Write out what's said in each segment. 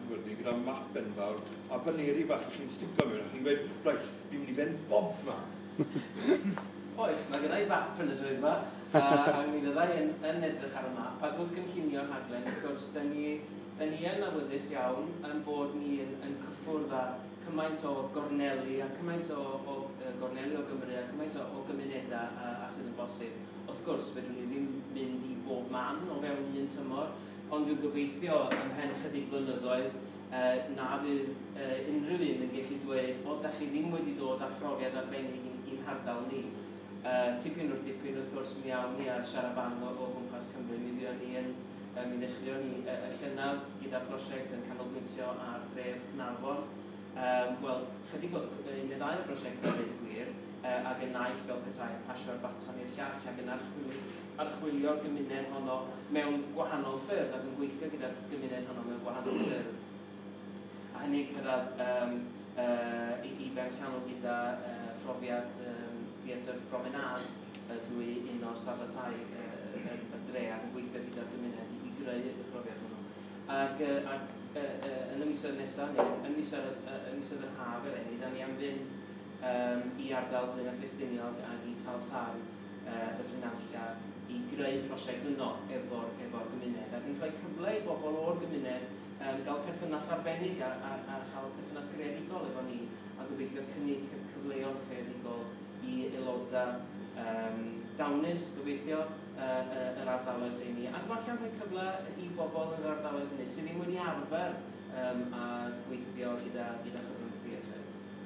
Caerfyrddin gyda map enfawr a baneri bach i chi'n stico mewn, a chi'n gweud, "Reit, fi'n mynd i fynd bob man." Oes, mae gynna i fap yn y swyddfa, a mi fydda i yn edrych ar y map, ac wrth gynllunio'r rhaglen, wrth gwrs, da ni yn awyddus iawn yn bod ni yn cyffwrdd â cymaint o gorneli a cymaint o gorneli o Gymru a cymaint o gymunedau a sydd yn bosib. Wrth gwrs, fedrwn ni ddim mynd i bob man o fewn un tymor, ond dwi'n gobeithio ymhen chydig blynyddoedd na fydd unrhyw un yn gallu dweud, "O, da chi ddim wedi dod â phrofiad arbennig i'n hardal ni." Tipyn wrth dipyn, wrth gwrs, mi awn ni ar siarabang o gwmpas Cymru. Mi fuon ni yn, mi ddechreuon ni y llynedd gyda phrosiect yn canolbwyntio ar dref Caernarfon. Wel, chydig o, un neu ddau o brosiectau, dweud y gwir, ac y naill fel petai yn pasio'r baton i'r llall ac yn archwilio'r gymuned honno mewn gwahanol ffyrdd ac yn gweithio gyda'r gymuned honno mewn gwahanol ffyrdd. A hynny cyrraedd i ben llanw gyda phrofiad Theatr Promenade drwy un o'r stadau tai y dre ac yn gweithio gyda'r gymuned i greu y profiad hwnnw. Ac yn y misoedd nesaf, neu yn misoedd yr haf eleni, da ni am fynd i ardal Blaenau Ffestiniog ac i Talsarn, Dyffryn Nantlle, i greu prosiect yno efo gymuned ac yn rhoi cyfle i bobl o'r gymuned gael perthynas arbennig a chael perthynas greadigol efo ni a gobeithio cynnig cyfleon creadigol i aelodau dawnus, gobeithio, yr ardaloedd rheini. Ac falle rhoi cyfle i bobl yn yr ardaloedd hynny sydd ddim wedi arfer a gweithio gyda chyfrwng theatr.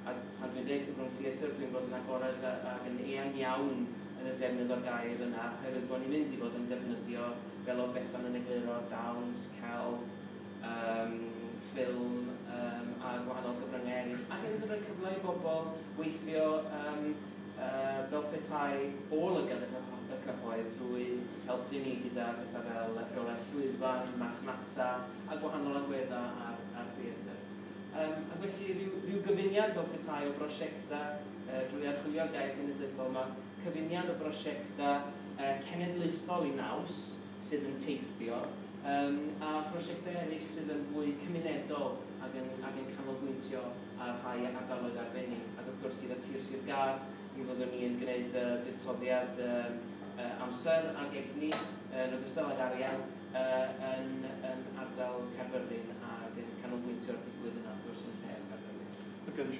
A pan dwi'n dweud cyfrwng theatr, dwi'n bod yn agored ac yn eang iawn yn y defnydd o'r gair yna, oherwydd bod ni'n mynd i fod yn defnyddio, fel oedd Bethan yn egluro, dawns, celf, ffilm a gwahanol gyfryngau eraill. Ac hefyd yn rhoi cyfle i bobl weithio fel petai o lygad y cyhoedd drwy helpu ni gyda pethau fel rheolaeth llwyfan, marchnata a gwahanol agweddau ar theatr. Ac felly rhyw gyfuniad fel petai o brosiectau drwy archwilio'r gair cenedlaethol yma, cyfuniad o brosiectau cenedlaethol i naws sydd yn teithio, a phrosiectau eraill sydd yn fwy cymunedol ac yn canolbwyntio ar rhai ardaloedd arbennig. Ac wrth gwrs gyda Tir Sir Gâr, mi fyddwn ni yn gwneud buddsoddiad amser ac egni yn ogystal ag arian yn ardal Caerfyrddin ac yn canolbwyntio'r digwydd yna wrth gwrs yn lle Caerfyrddin. Ac yn